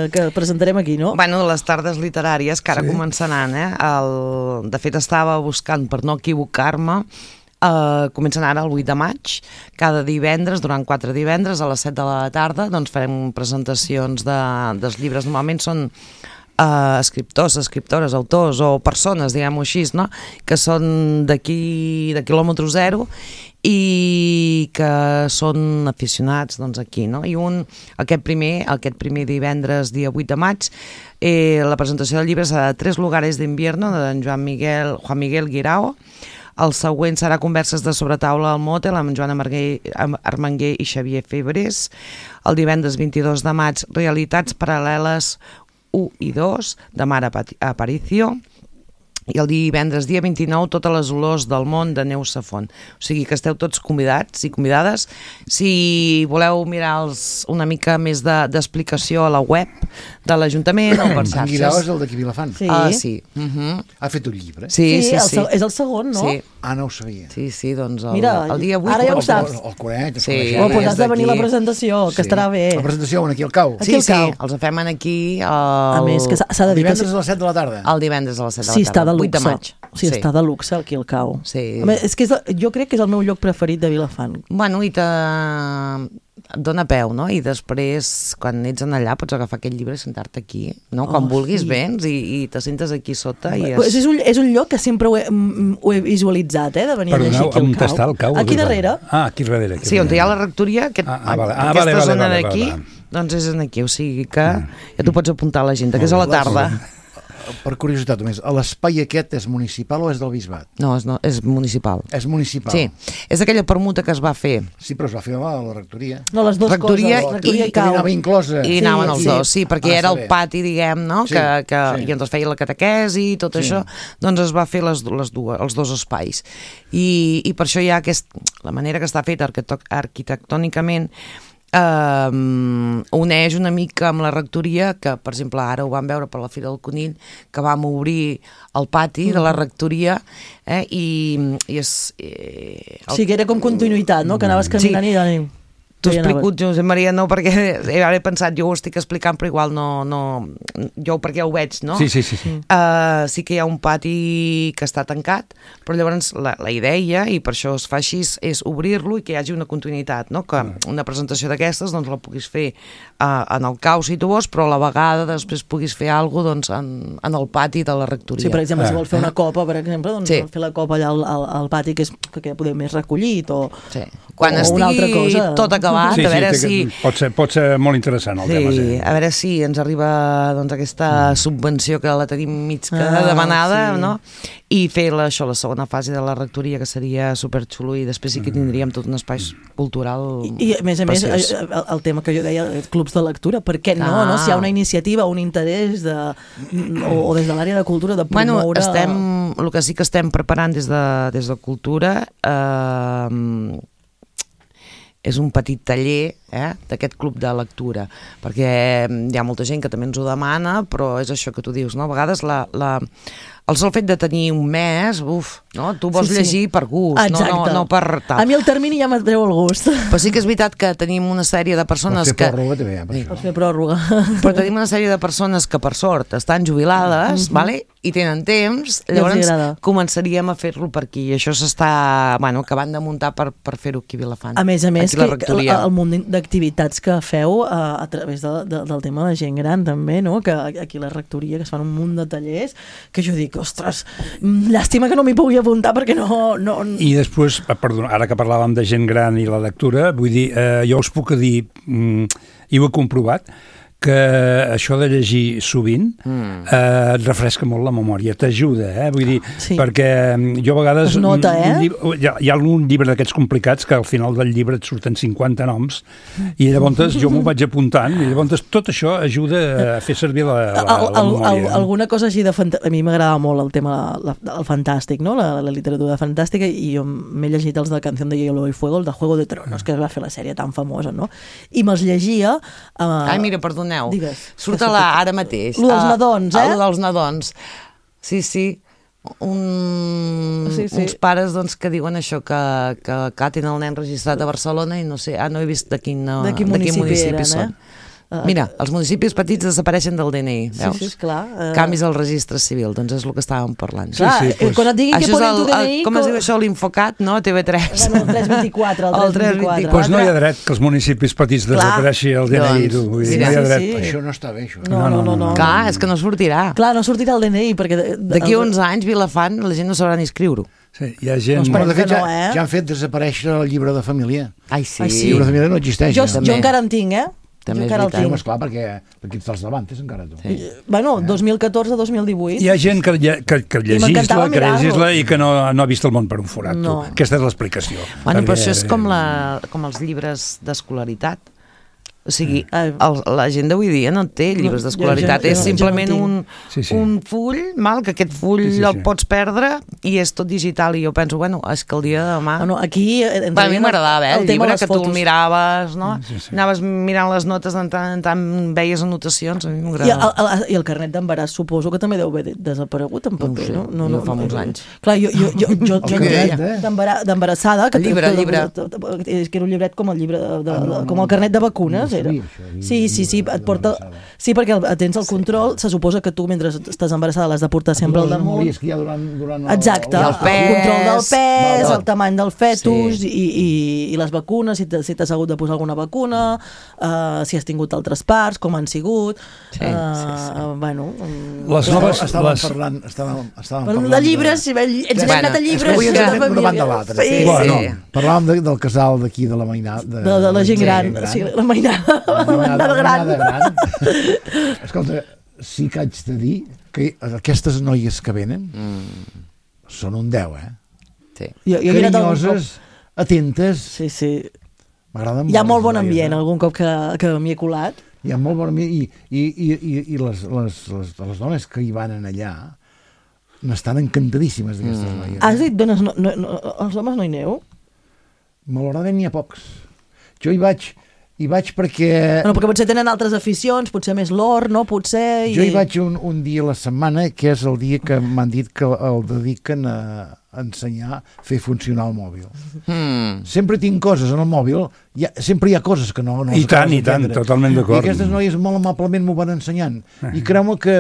que presentarem aquí, no? Bueno, les tardes literàries, que ara començaran, de fet estava buscant, per no equivocar-me, comencen ara el 8 de maig, cada divendres, durant 4 divendres, a les 7 de la tarda, doncs farem presentacions dels llibres. Normalment són escriptors, escriptores, autors o persones, diguem-ho així, no? Que són d'aquí, de quilòmetre zero, i que són aficionats aquí, no? I aquest primer divendres, dia 8 de maig, la presentació del llibre serà Tres lugares d'invierno, de Juan Miguel Guirao. El següent serà Converses de sobretaula al mòtel amb Joan Armenguer i Xavier Febres. El divendres 22 de maig, Realitats paral·leles 1 i 2, de Mara Aparicio. I el divendres, dia 29, Totes les olors del món, de Neus Safont. O sigui que esteu tots convidats i convidades. Si voleu mirar una mica més d'explicació a la web de l'Ajuntament o per xarxes. En Guirao és el d'aquí Vilafant. Sí. Ha fet un llibre? Sí. És el segon, no? Sí. No ho sabia. Sí, doncs el dia 8. Ara ja ho saps. El coneix. Pues has de venir a la presentació, que estarà bé. La presentació aquí al Cau? Sí, els fem aquí. A més, que s'ha de dir... Divendres a les 7 de la tarda? El divendres a les 7 de la tarda. Sí, està de luxe. 8 de maig. Sí, està de luxe aquí al Cau. Sí. És que jo crec que és el meu lloc preferit de Vilafant. Bueno, i et dona peu, no? I després, quan ets allà, pots agafar aquest llibre i sentar-te aquí, no? Quan vulguis vens i te sentes aquí sota. És un lloc que sempre ho he visualitzat, de venir a llegir aquí al Cau. On està el Cau? Aquí darrere. Aquí darrere. Sí, on hi ha la rectoria, aquesta zona d'aquí, doncs és aquí, o sigui que ja t'ho pots apuntar a l'agenda, que és a la tarda. Per curiositat només, l'espai aquest és municipal o és del bisbat? No, és municipal. És municipal? Sí, és aquella permuta que es va fer. Sí, però es va fer a la rectoria. No, les dues rectoria coses, rectoria i Cau. Anava inclosa. I anaven els dos, sí, perquè era el pati, diguem, no? I ens feia la catequesi i tot això, doncs es va fer els dos espais. I per això hi ha la manera que està feta arquitectònicament, uneix una mica amb la rectoria, que per exemple ara ho vam veure per la Fira del Conill, que vam obrir el pati de la rectoria i és... Sí, que era com continuïtat, no? Que anaves caminant i d'anem. T'ho explico, Josep Maria, no, perquè he pensat, jo ho estic explicant, però igual no, jo perquè ho veig, no? Sí. Sí que hi ha un pati que està tancat, però llavors la idea, i per això es fa així, és obrir-lo i que hi hagi una continuïtat, no? Que una presentació d'aquestes doncs la puguis fer en el Cau, si tu vols, però a la vegada després puguis fer alguna cosa doncs, en el pati de la rectoria. Sí, per exemple, si vols fer una copa, per exemple, doncs fer la copa allà al pati, que ja podem més recollit, o una altra cosa. Tot acabat, a veure si... Pot ser molt interessant el tema. Sí, a veure si ens arriba doncs, aquesta subvenció que la tenim mig demanada, no? I fer la segona fase de la rectoria, que seria superxulo, i després sí que tindríem tot un espai cultural I a més, el tema que jo deia, clubs de lectura, per què no? Si hi ha una iniciativa, un interès o des de l'àrea de cultura de promoure... El que sí que estem preparant des de cultura és un petit taller d'aquest club de lectura, perquè hi ha molta gent que també ens ho demana, però és això que tu dius, no? A vegades el sol fet de tenir un mes, no? Tu vols llegir per gust, no per tal. A mi el termini ja m'atreu el gust. Però sí que és veritat que tenim una sèrie de persones que... Pots fer pròrroga. Però tenim una sèrie de persones que, per sort, estan jubilades, i tenen temps, llavors començaríem a fer-lo per aquí. I això s'està acabant de muntar per fer-ho aquí a Vilafant. A més, el munt d'activitats que feu a través del tema de gent gran, també, no? Que aquí a la rectoria, que es fan un munt de tallers, que jo dic, ostres, llàstima que no m'hi pugui apuntar perquè no... I després, perdona, ara que parlàvem de gent gran i la lectura, vull dir, jo us puc dir, i ho he comprovat, que això de llegir sovint et refresca molt la memòria, t'ajuda, vull dir, perquè jo a vegades... Es nota, hi ha algun llibre d'aquests complicats que al final del llibre et surten 50 noms i llavors jo m'ho vaig apuntant i llavors tot això ajuda a fer servir la memòria. Alguna cosa així de fantàstic, a mi m'agradava molt el tema del fantàstic, no? La literatura fantàstica, i jo m'he llegit els de Canción de Hielo y Fuego, el de Juego de Tronos, que es va fer la sèrie tan famosa, no? I me'ls llegia... Ai, mira, perdoneu. Surt ara mateix. Lo dels nadons, Lo dels nadons. Sí. Uns pares que diuen això, que tenen el nen registrat a Barcelona i no sé, no he vist de quin municipi són. Mira, els municipis petits desapareixen del DNI, veus? Sí, esclar. Canvis al registre civil, doncs és el que estàvem parlant. Quan et diguin que ponen tu DNI... Com es diu això, l'Infocat, no? TV3. El 324, el 324. Doncs no hi ha dret que els municipis petits desapareixi el DNI. No hi ha dret. Això no està bé, això. No. Clar, és que no sortirà. Clar, no sortirà el DNI, perquè... D'aquí uns anys, Vilafant, la gent no sabrà ni escriure-ho. Sí, hi ha gent... Però de fet ja han fet desaparèixer el llibre de família. Ai, sí. El llibre de família no existeix. Jo encara en tinc, També és veritat. Esclar, perquè ets dels davantes encara tu. Bueno, 2014-2018. Hi ha gent que legisla i que no ha vist el món per un forat. Aquesta és l'explicació. Bueno, però això és com els llibres d'escolaritat. O sigui, la gent d'avui dia no té llibres d'escolaritat, és simplement un full, que aquest full el pots perdre i és tot digital, i jo penso, és que el dia de demà... Aquí... A mi m'agradava, el llibre, que tu el miraves, no? Anaves mirant les notes, en tant veies anotacions, a mi m'agradava. I el carnet d'embaràs suposo que també deu haver desaparegut en paper, no? No fa molts anys. Clar, jo d'embarassada... El llibre. Que era un llibret com el llibre, com el carnet de vacunes, era. Sí, et porta... Sí, perquè tens el control, se suposa que tu mentre estàs embarassada l'has de portar sempre al damunt. Exacte, el control del pes, el tamany del fetus i les vacunes, si t'has hagut de posar alguna vacuna, si has tingut altres parts, com han sigut. Bueno... Les noves... Estàvem parlant de llibres, ens hem anat a llibres. Parlàvem del casal d'aquí, de la mainada. De la gent gran, sí, la mainada. Escolta, sí que haig de dir que aquestes noies que venen són un 10, carinyoses, atentes. Sí. M'agraden molt. Hi ha molt bon ambient, algun cop que m'hi he colat. Hi ha molt bon ambient i les dones que hi van allà n'estan encantadíssimes d'aquestes noies. Has dit dones, els homes no hi aneu? Malauradament n'hi ha pocs. Jo hi vaig perquè... Perquè potser tenen altres aficions, potser més l'or, no? Potser... Jo hi vaig un dia a la setmana, que és el dia que m'han dit que el dediquen a ensenyar a fer funcionar el mòbil. Sempre tinc coses en el mòbil, sempre hi ha coses que no I tant, totalment d'acord. I aquestes noies molt amablement m'ho van ensenyant. I creu-me que,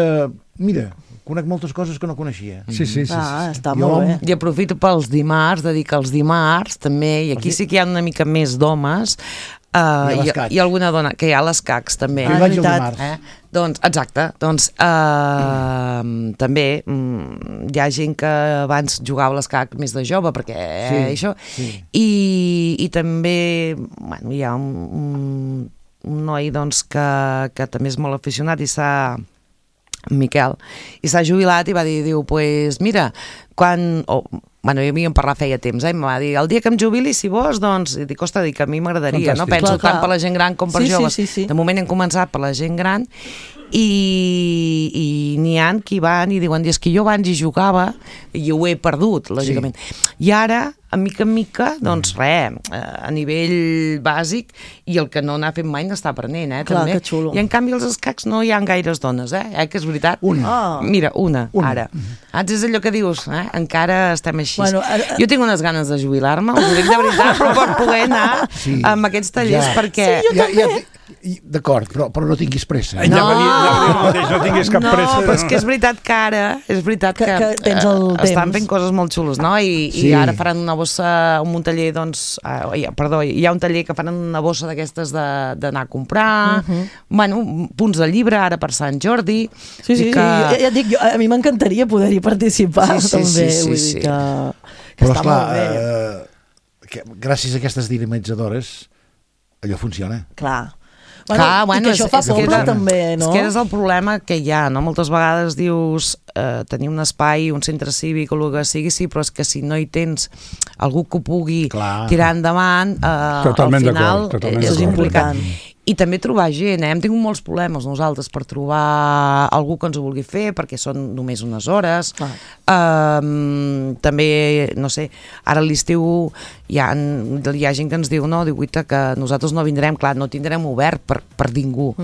mira, conec moltes coses que no coneixia. Sí. Està molt bé. I aprofito pels dimarts, de dir que els dimarts també, i aquí sí que hi ha una mica més d'homes, i alguna dona, que hi ha les CACs també. Doncs, exacte, també hi ha gent que abans jugava a les CAC més de jove, perquè això, i també hi ha un noi que també és molt aficionat i Miquel, i s'ha jubilat i va dir, pues mira, hi havíem parlat feia temps, em va dir, el dia que em jubili, si vols, doncs, dic, que a mi m'agradaria, no? Penso tant per la gent gran com per joves. De moment hem començat per la gent gran i n'hi ha qui van i diuen, és que jo abans hi jugava i ho he perdut, lògicament. I ara, a mica en mica, doncs res, a nivell bàsic, i el que no n'ha fet mai n'està aprenent, Clar, també. que xulo. I en canvi als escacs no hi ha gaires dones, que és veritat. Una. Mira, una. Ara. És allò que dius, encara estem així. Jo tinc unes ganes de jubilar-me, us ho dic de veritat, però per poder anar amb aquests tallers, perquè... Sí, jo també. D'acord, però no tinguis pressa. No tinguis cap pressa. No, però és que és veritat que ara, és veritat que tens el estan temps. fent coses molt xules, no? I ara faran una bossa, un taller, doncs, perdó, hi ha un taller que faran una bossa d'aquestes d'anar a comprar, bueno, punts de llibre ara per Sant Jordi. Sí, ja et dic, a mi m'encantaria poder-hi participar, també, vull dir que està molt bé. Gràcies a aquestes dinamitzadores allò funciona. Clar. Bueno, i que això fa poble també, no? És que és el problema que hi ha, no? Moltes vegades dius tenir un espai, un centre cívic o el que sigui, sí, però és que si no hi tens algú que ho pugui tirar endavant, al final és important. I també trobar gent, hem tingut molts problemes nosaltres per trobar algú que ens ho vulgui fer, perquè són només unes hores. També, no sé, ara a l'estiu hi ha gent que ens diu, no, que nosaltres no vindrem, clar, no tindrem obert per ningú,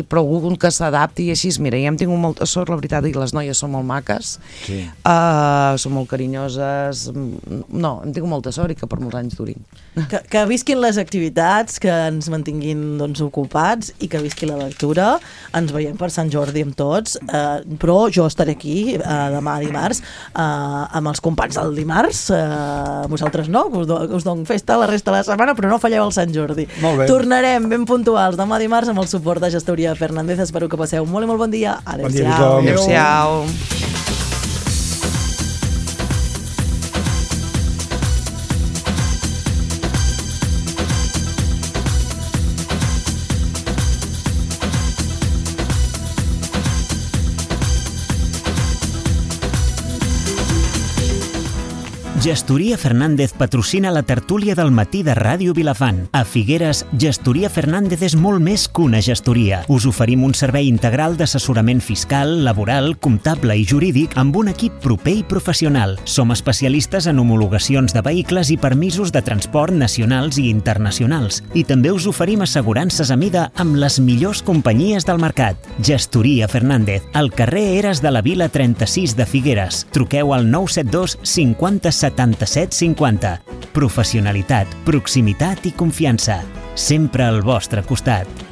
però algú que s'adapti i així, mira, ja hem tingut molta sort, la veritat, i les noies són molt maques, són molt carinyoses, no, hem tingut molta sort i que per molts anys durin. Que visquin les activitats, que ens mantinguin, doncs, ocupats i que visqui la lectura. Ens veiem per Sant Jordi amb tots, però jo estaré aquí demà dimarts amb els companys del dimarts, vosaltres no, us dono festa la resta de la setmana, però no falleu el Sant Jordi. Tornarem ben puntuals demà dimarts amb el suport de Gestoria Fernández. Espero que passeu molt i molt bon dia. Adéu-siau. Adéu-siau. Gestoria Fernández patrocina la tertúlia del matí de Ràdio Vilafant. A Figueres, Gestoria Fernández és molt més que una gestoria. Us oferim un servei integral d'assessorament fiscal, laboral, comptable i jurídic amb un equip proper i professional. Som especialistes en homologacions de vehicles i permisos de transport nacionals i internacionals. I també us oferim assegurances a mida amb les millors companyies del mercat. Gestoria Fernández, al carrer Eres de la Vila 36 de Figueres. Truqueu al 972 50 77 50. Professionalitat, proximitat i confiança. Sempre al vostre costat.